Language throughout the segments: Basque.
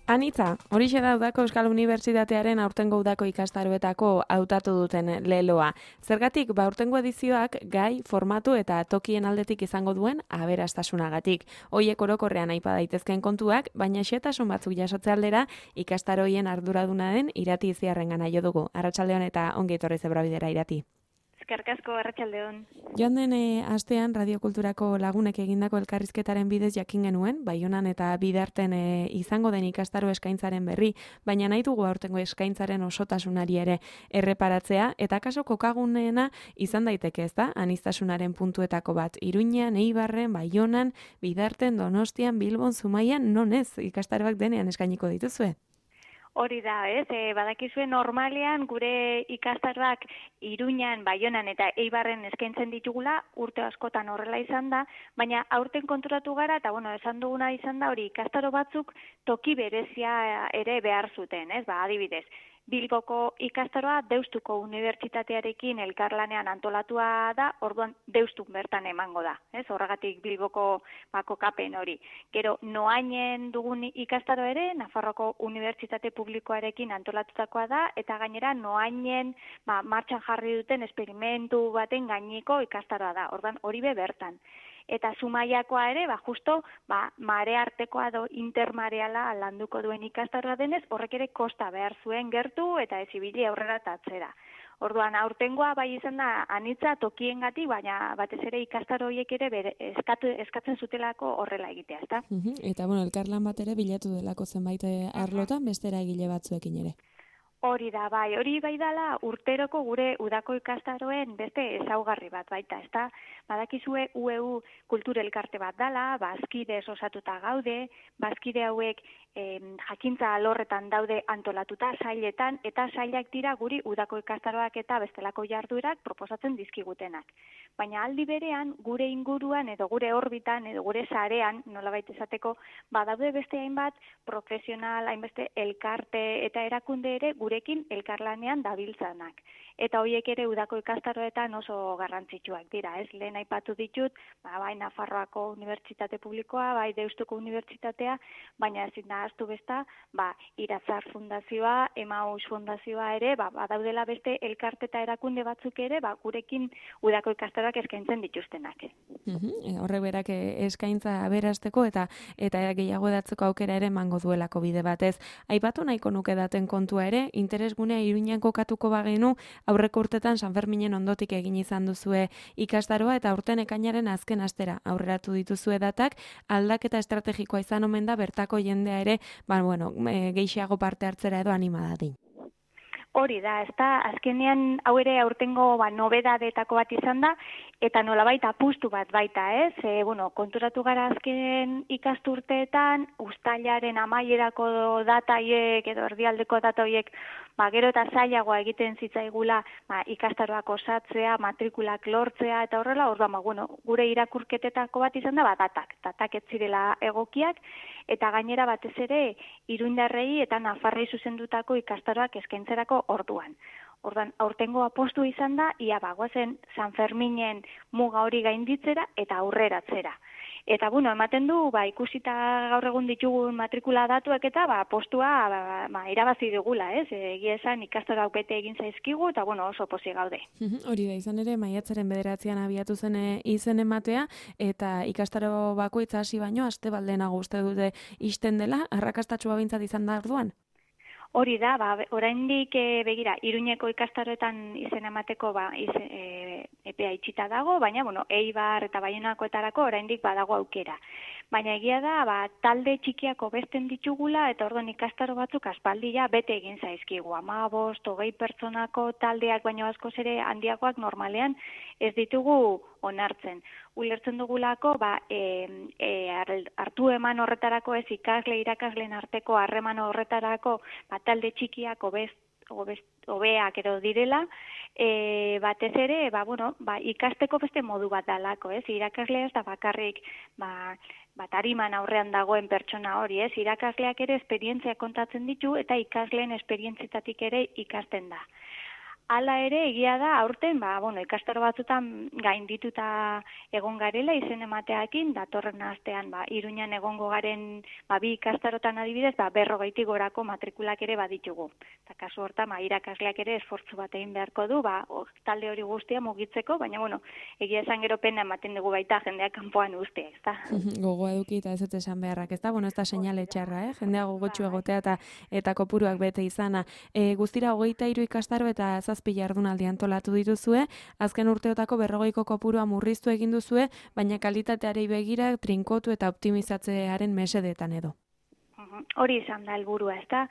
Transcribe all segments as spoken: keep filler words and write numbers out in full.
Anitza, horixe da Udako Euskal Unibertsitatearen aurtengo udako ikastaroetako hautatu duten leloa. Zergatik, ba aurtengo edizioak gai, formatu eta tokien aldetik izango duen aberastasunagatik. Hoiek orokorrean aipa daitezkeen kontuak, baina xehetasun batzuk jasotze aldera ikastaroien arduraduna den Irati Iziarrengana jo dugu. Arratsaldeon eta ongi etorri Zebrabidera, Irati. Eskerrik asko, arratsaldeon. Joan den e, astean Radiokulturako lagunek egindako elkarrizketaren bidez jakin genuen, Baionan eta Bidarten e, izango den ikastaro eskaintzaren berri, baina nahi dugu aurtengo eskaintzaren osotasunari ere erreparatzea, eta kaso kokaguneena izan daiteke, ez da, aniztasunaren puntuetako bat. Iruñean, Eibarren, Baionan, Bidarten, Donostian, Bilbon, Zumaian, non ez ikastaroak denean eskainiko dituzue? Hori da, ez? E, badakizue normalean gure ikastaroak Iruñan, Baionan eta Eibarren eskaintzen ditugula, urte askotan horrela izan da, baina aurten konturatu gara, eta bueno, esan duguna izan da, hori ikastaro batzuk toki berezia ere behar zuten, ez? Ba, adibidez, Bilboko ikastaroa Deustuko Unibertsitatearekin elkarlanean antolatua da, orduan Deustun bertan emango da, ez? Horregatik Bilboko bako kapen hori. Gero, Noainen dugun ikastaro ere, Nafarroko Unibertsitate Publikoarekin antolatutakoa da, eta gainera Noainen ba, martxan jarri duten esperimentu baten gaineko ikastaroa da, orduan hori be bertan. Eta Zumaiakoa ere, ba, justo, ba, mare artekoa do intermareala landuko duen ikastaroa denez, horrek ere kosta behar zuen gertu eta ez ibili aurrera eta atzera. Orduan, aurtengoa bai izan da anitza tokiengatik, baina batez ere ikastaro horiek ere bere, eskatu, eskatzen zutelako horrela egitea, ezta? Uh-huh. Eta, bueno, elkarlan bat ere bilatu delako zenbait arlotan, beste eragile batzuekin ere. Hori da, bai, hori bai dala urteroko gure udako ikastaroen beste ezaugarri bat baita, ezta? Badakizue U E U kultur elkarte bat dala, bazkide osatuta gaude, bazkide hauek eh, jakintza alorretan daude antolatuta sailetan, eta sailak dira guri udako ikastaroak eta bestelako jarduerak proposatzen dizkigutenak. Baina aldi berean, gure inguruan edo gure orbitan edo gure sarean, nolabait esateko, badaude beste hainbat profesional, hainbeste elkarte eta erakunde ere gurekin elkarlanean dabiltzanak. Eta horiek ere udako ikastaroetan oso garrantzitsuak dira, ez? Lehen aipatu ditut, ba, bai Nafarroako Unibertsitate Publikoa, bai Deustuko Unibertsitatea, baina ezin da ahaztu besta, ba, Iratzar Fundazioa, Emaus Fundazioa ere, ba, badaudela beste elkarte eta erakunde batzuk ere, ba, gurekin udako ikastaroak eskaintzen dituztenak. Uh-huh. Horrek berak eskaintza aberasteko eta eta gehiago edatzeko aukera ere emango duelako bide batez. Aipatu nahiko nuke daten kontua ere, interesgunea Iruñan kokatuko bagenu, aurreko urtetan Sanferminen ondotik egin izan duzue ikastaroa eta aurten ekainaren azken astera aurreratu dituzue datak, aldaketa estrategikoa izan omen da bertako jendea ere, ba, bueno, e, gehiago parte hartzera edo anima dadin. Hori da, ezta, azkenean hau ere aurtengo ba, nobedadetako bat izan da, eta nolabait apustu bat baita, ez? E, bueno, konturatu gara azken ikasturteetan, uztailaren amaierako data horiek edo erdialdeko data horiek, ba, gero eta zailagoa egiten zitzaigula ba, ikastaroak osatzea, matrikulak lortzea, eta horrela, orduan, ba, bueno, gure irakurketetako bat izan da, ba, datak, datak ez zirela egokiak, eta gainera batez ere, irundarrei eta nafarrei zuzendutako ikastaroak eskaintzerako orduan. Orduan, aurtengo apostu izan da, ia bagoazen San Ferminen muga hori gainditzera eta aurreratzera. Eta, bueno, ematen du, ba, ikusita gaur egun ditugun matrikula datuak eta, ba, postua, ba, ba, irabazi dugula, ez? Egia esan ikastaroak bete egin zaizkigu, eta, bueno, oso pozik gaude. Hori da, izan ere, maiatzaren bederatzean abiatu zen izen ematea, eta ikastaro bakoitza hasi baino, aste baldenago uste dute isten dela, arrakastatxua bintzat izan da orduan? Hori da, ba, oraindik e, begira, Iruñeko ikastaroetan izen emateko ba, izen, e, epea itxita dago, baina, bueno, Eibar eta Baionakoetarako oraindik badago aukera. Baina egia da, ba, talde txikiako besten ditugula, eta orduan ikastaro batzuk aspaldia bete egin zaizkigu. Hamabost, hogei pertsonako taldeak baino askoz ere handiagoak normalean ez ditugu onartzen. Ulertzen dugulako, ba, e, e, hartu eman horretarako ez ikasle irakasleen arteko harreman horretarako ba, talde txikiak obez, obez, obeak edo direla, e, batez ere, ba, bueno, ba, ikasteko beste modu bat dalako, ez? Irakaslea ez da bakarrik, ba, bat ariman aurrean dagoen pertsona hori, ez? Irakasleak ere esperientzia kontatzen ditu eta ikasleen esperientzitatik ere ikasten da. Hala ere, egia da, aurten, ba, bueno, ikastaro batzutan gaindituta egon garela izen emateakin, datorren astean, ba, Iruñan egongo garen, ba, bi ikastarotan adibidez, ba, berrogeitik gorako matrikulak ere baditugu. Eta kasu hortan, ba, irakasleak ere esfortzu bat egin beharko du, ba, or, talde hori guztia mugitzeko, baina, bueno, egia esan gero pena ematen dugu baita jendeak kanpoan ustea, ezta? Gogoa eduki eta ez dut esan beharrak, ezta? Bueno, ez da seinale txarra, eh? Jendea gogotxu egotea eta eta kopuruak bete izana. E, guztira hogeita hiru ikastaro eta zazpi jardunaldi antolatu dituzue, azken urteotako berrogeiko kopurua murriztu egin duzue, baina kalitateari begira trinkotu eta optimizatzearen mesedetan edo. Hori izan da helburua, ezta?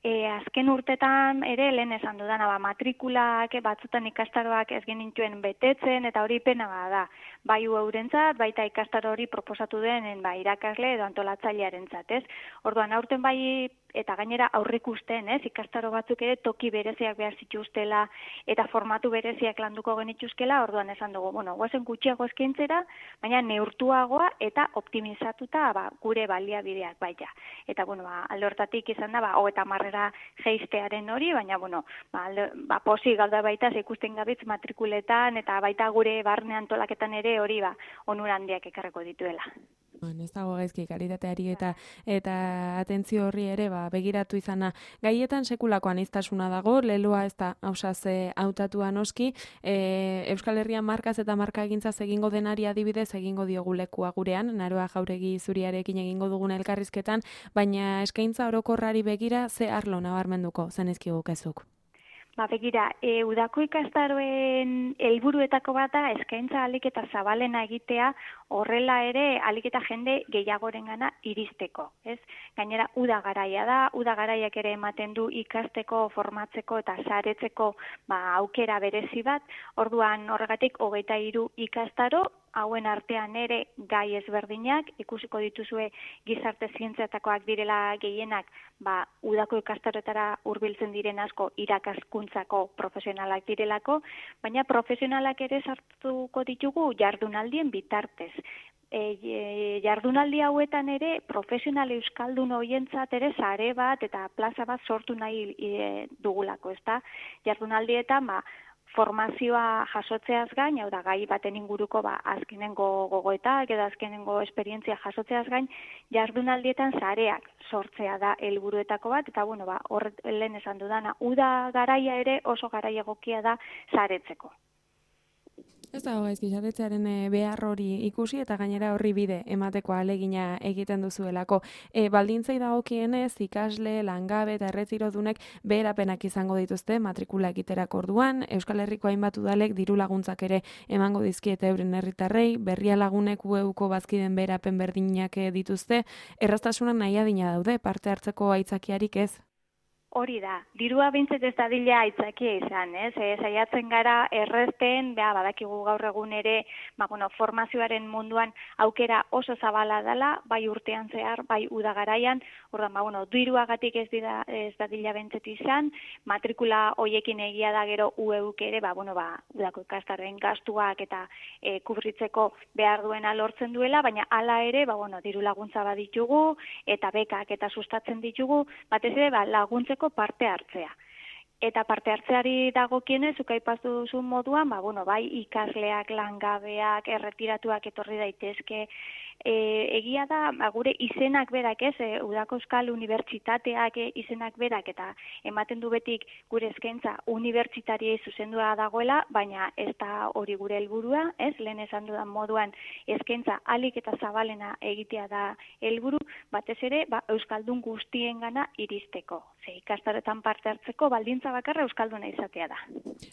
E, azken urtetan ere lehen esan dudana, ba, matrikulak batzutan ikastaroak ez genituen betetzen eta hori pena da. Bai eurentzat, baita ikastaro hori proposatu denen ba, irakasle edo antolatzailearentzat, ez? Orduan aurten bai eta gainera aurrikusten, ez? Ikastaro batzuk ere toki bereziak behar zituztela eta formatu bereziak landuko genituzkela, orduan esan dugu, bueno, guazen gutxiago eskaintzera, baina neurtuagoa eta optimizatuta ba, gure baliabideak baita. Eta bueno, ba, alde hortatik izan da, ba, hogeita hamarrera jeistearen hori, baina bueno, ba, alde, ba, posi gauda baita ze ikusten gabitz matrikuletan eta baita gure barne antolaketan ere hori ba, onura handiak ekarreko dituela. Ez dago gaizki kalitateari eta eta atentzio horri ere ba, begiratu izana. Gaietan sekulako aniztasuna dago, leloa ez da hausaz hautatua noski, e, Euskal Herrian markaz eta markagintzaz egingo denari adibidez egingo diogu lekua gurean, Naroa Jauregi Zuriarekin egingo dugun elkarrizketan, baina eskaintza orokorrari begira ze arlo nabarmenduko zenizkigukezuk. Ba, begira, e, udako ikastaroen helburuetako bat da eskaintza alik eta zabalena egitea, horrela ere alik eta jende gehiagorengana iristeko, ez? Gainera, uda garaia da, uda garaiak ere ematen du ikasteko, formatzeko eta saretzeko ba, aukera berezi bat, orduan horregatik hogeita hiru ikastaro, hauen artean ere gai ezberdinak, ikusiko dituzue gizarte zientziatakoak direla gehienak, ba, udako ikastaroetara hurbiltzen diren asko irakaskuntzako profesionalak direlako, baina profesionalak ere sartuko ditugu jardunaldien bitartez. E, jardunaldi hauetan ere profesional euskaldun hoientzat ere sare bat eta plaza bat sortu nahi e, dugulako, ezta? Jardunaldietan, ba, formazioa jasotzeaz gain, hau da gai baten inguruko ba, azkenengo gogoetak edo azkenengo esperientzia jasotzeaz gain, jardunaldietan sareak sortzea da helburuetako bat, eta bueno, ba, hor lehen esan dudana, uda garaia ere oso garaia egokia da saretzeko. Ez dago gaizki saretzearen behar hori ikusi eta gainera horri bide emateko ahalegina egiten duzuelako. E, baldintzei dagokienez ikasle, langabe eta erretirodunek beherapenak izango dituzte matrikula egiterako orduan, Euskal Herriko hainbat udalek diru laguntzak ere emango dizkiete euren herritarrei, berria lagunek U E-ko bazkiden beherapen berdinak dituzte, erraztasunak nahi adina daude, parte hartzeko aitzakiarik ez? Hori da, dirua bintzet ez dadila aitzakia izan, ez? E, saiatzen gara errezten, beha, badakigu gaur egun ere, ba, bueno, formazioaren munduan aukera oso zabala dela, bai urtean zehar, bai udagaraian, ordan, ba, bueno, diruagatik ez, dira, ez dadila bintzet izan, matrikula hoiekin egia da gero U E-uk ere, ba, bueno, ba, udako ikastarren gastuak eta e, kubritzeko behar duena lortzen duela, baina hala ere, ba, bueno, diru laguntza baditugu, eta bekak eta sustatzen ditugu, batez ere, ba, laguntzeko parte hartzea. Eta parte hartzeari dagokienez, zuk aipatu duzun moduan, ba, bueno, bai ikasleak, langabeak, erretiratuak etorri daitezke, e, egia da, ba, gure izenak berak ez, e, Udako Euskal Unibertsitateak e, izenak berak, eta ematen du betik gure eskaintza unibertsitariei zuzendua dagoela, baina ez da hori gure helburua, ez, lehen esan dudan moduan eskaintza alik eta zabalena egitea da helburu, batez ere, ba, Euskaldun guztiengana iristeko. Ze ikastaroetan parte hartzeko baldintza bakarra euskalduna izatea da.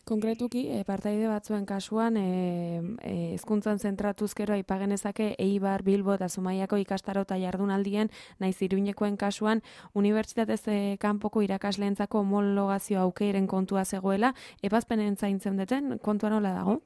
Konkretuki, e, partaide batzuen kasuan, hezkuntzan e, zentratuzkero aipagenezake Eibar, Bilbo eta Zumaiako ikastaro eta jardunaldien, naiz Iruñekoen kasuan, unibertsitatez e, kanpoko irakasleentzako homologazio aukeiren kontua zegoela, ebazpenen zaintzen duten kontua nola dago?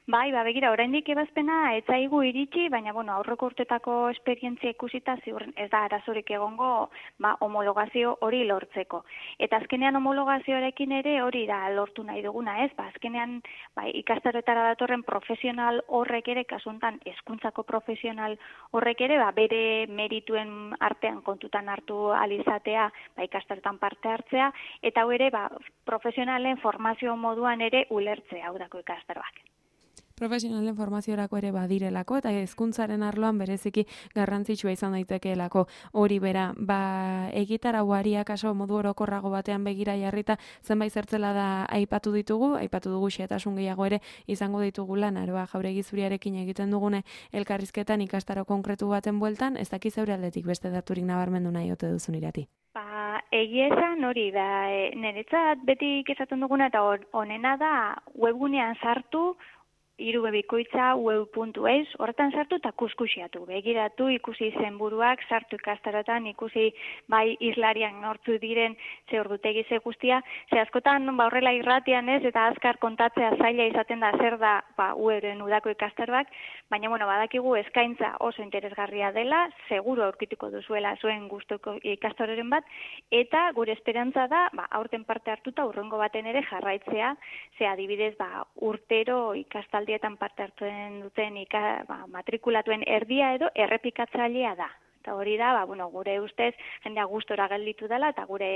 Bai, ba, begira, oraindik ebazpena ez zaigu iritsi, baina, bueno, aurreko urtetako esperientzia ikusita ziurren ez da arazorik egongo ba, homologazio hori lortzeko. Eta azkenean homologazioarekin ere hori da lortu nahi duguna, ez? Ba, azkenean ba, ikastaroetara datorren profesional horrek ere, kasuntan hezkuntzako profesional horrek ere, ba, bere merituen artean kontutan hartu alizatea, ba, ikastaroetan parte hartzea, eta hau ere, ba, profesionalen formazio moduan ere ulertzea, hau dako ikastaroak. Profesionalen formaziorako ere badirelako eta hezkuntzaren arloan bereziki garrantzitsua izan daitekeelako hori bera. Ba, egitarauari akaso modu orokorrago batean begira jarrita zenbait zertzela da aipatu ditugu, aipatu dugu xehetasun gehiago ere izango ditugula Naroa Jauregi Zuriarekin egiten dugune elkarrizketan ikastaro konkretu baten bueltan, ez dakiz zeure aldetik beste daturik nabarmendu nahi ote duzun Irati. Ba, egia esan hori da, e, niretzat beti esaten duguna eta honena da webgunean sartu, irubebikoitza web puntu eus, horretan sartu eta kuskusiatu. Begiratu, ikusi zenburuak, sartu ikastarotan, ikusi bai islarian nortzu diren ze ordutegi ze guztia, ze askotan ba, horrela irratian ez, eta azkar kontatzea zaila izaten da zer da ba, ueren udako ikastaroak, baina bueno, badakigu eskaintza oso interesgarria dela, seguru aurkituko duzuela zuen gustuko ikastaroren bat, eta gure esperantza da, ba, aurten parte hartuta urrengo baten ere jarraitzea, ze adibidez ba, urtero ikastal dietan parte hartzen duten ika, ba, matrikulatuen erdia edo errepikatzailea da. Eta hori da, ba, bueno, gure ustez jendea gustora gelditu dela eta gure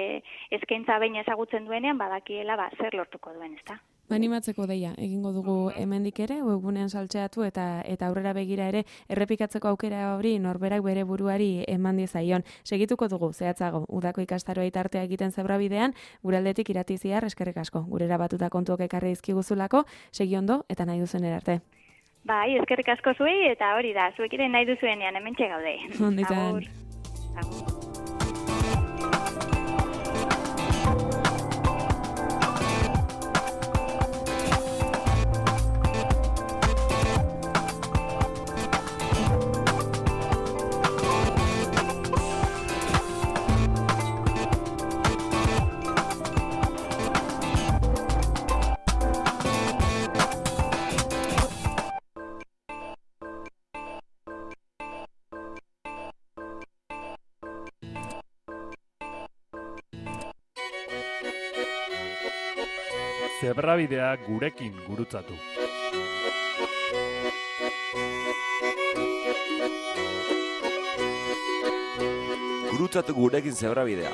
eskaintza behin ezagutzen duenean badakiela ba, zer lortuko duen, ezta? Animatzeko deia, egingo dugu hemendik ere, webgunean saltzeatu eta eta aurrera begira ere errepikatzeko aukera hori norberak bere buruari eman diezaion. Segituko dugu, zehatzago, udako ikastaroa tartea egiten zebrabidean, gure aldetik Irati Ziar eskerrik asko. Gurera batuta kontuok ekarri dizkiguzulako, segi ondo eta nahi duzen erarte. Bai, eskerrik asko zuei eta hori da, zuek ere nahi duzuenean hementxe gaude. Ondo izan. Agur. Zebrabidea gurekin gurutzatu. Gurutzatu gurekin zebrabidea.